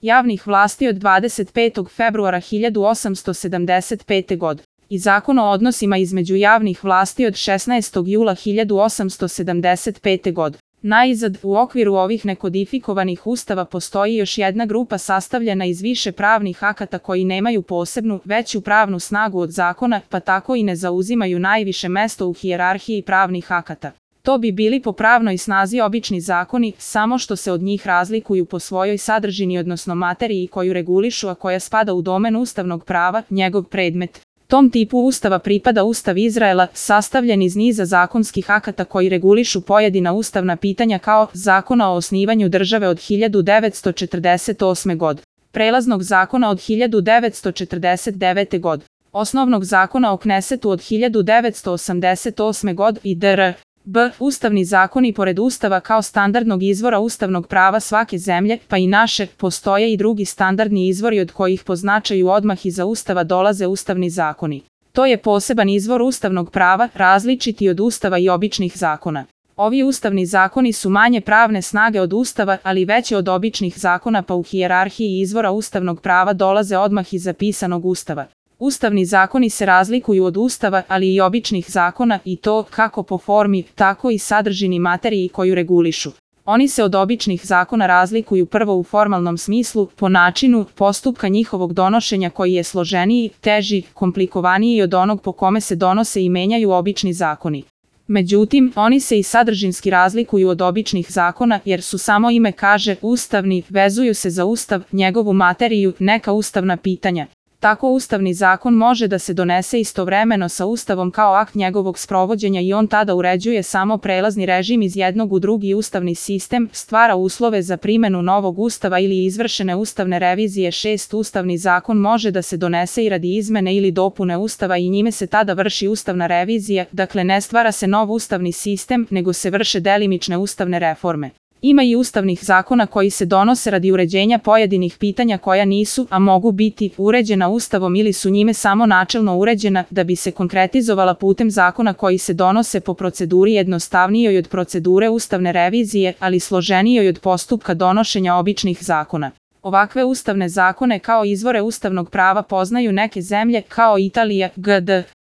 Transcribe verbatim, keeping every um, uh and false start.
javnih vlasti od dvadeset petog februara hiljadu osamsto sedamdeset pete. godine i Zakon o odnosima između javnih vlasti od šesnaestog jula hiljadu osamsto sedamdeset pete. godine. Najzad, u okviru ovih nekodifikovanih ustava postoji još jedna grupa sastavljena iz više pravnih akata koji nemaju posebnu, veću pravnu snagu od zakona, pa tako i ne zauzimaju najviše mesto u hijerarhiji pravnih akata. To bi bili po pravnoj snazi obični zakoni, samo što se od njih razlikuju po svojoj sadržini odnosno materiji koju regulišu, a koja spada u domen ustavnog prava, njegov predmet. Tom tipu ustava pripada Ustav Izraela, sastavljen iz niza zakonskih akata koji regulišu pojedina ustavna pitanja kao Zakona o osnivanju države od hiljadu devetsto četrdeset osme. godine, Prelaznog zakona od hiljadu devetsto četrdeset devete. godine, Osnovnog zakona o Knesetu od hiljadu devetsto osamdeset osme. godine i dr. B. Ustavni zakoni pored Ustava kao standardnog izvora ustavnog prava svake zemlje, pa i naše, postoje i drugi standardni izvori od kojih po značaju odmah iza Ustava dolaze ustavni zakoni. To je poseban izvor ustavnog prava, različiti od Ustava i običnih zakona. Ovi ustavni zakoni su manje pravne snage od Ustava, ali veće od običnih zakona, pa u hijerarhiji izvora ustavnog prava dolaze odmah iza pisanog Ustava. Ustavni zakoni se razlikuju od Ustava, ali i običnih zakona, i to kako po formi, tako i sadržini materiji koju regulišu. Oni se od običnih zakona razlikuju prvo u formalnom smislu, po načinu postupka njihovog donošenja koji je složeniji, teži, komplikovaniji od onog po kome se donose i menjaju obični zakoni. Međutim, oni se i sadržinski razlikuju od običnih zakona, jer su, samo ime kaže, ustavni, vezuju se za Ustav, njegovu materiju, neka ustavna pitanja. Tako ustavni zakon može da se donese istovremeno sa Ustavom kao akt njegovog sprovođenja i on tada uređuje samo prelazni režim iz jednog u drugi ustavni sistem, stvara uslove za primenu novog Ustava ili izvršene ustavne revizije. Šest Ustavni zakon može da se donese i radi izmene ili dopune Ustava i njime se tada vrši ustavna revizija, dakle ne stvara se nov ustavni sistem, nego se vrše delimične ustavne reforme. Ima i ustavnih zakona koji se donose radi uređenja pojedinih pitanja koja nisu, a mogu biti, uređena Ustavom ili su njime samo načelno uređena, da bi se konkretizovala putem zakona koji se donose po proceduri jednostavnijoj od procedure ustavne revizije, ali složenijoj od postupka donošenja običnih zakona. Ovakve ustavne zakone kao izvore ustavnog prava poznaju neke zemlje, kao Italija, G D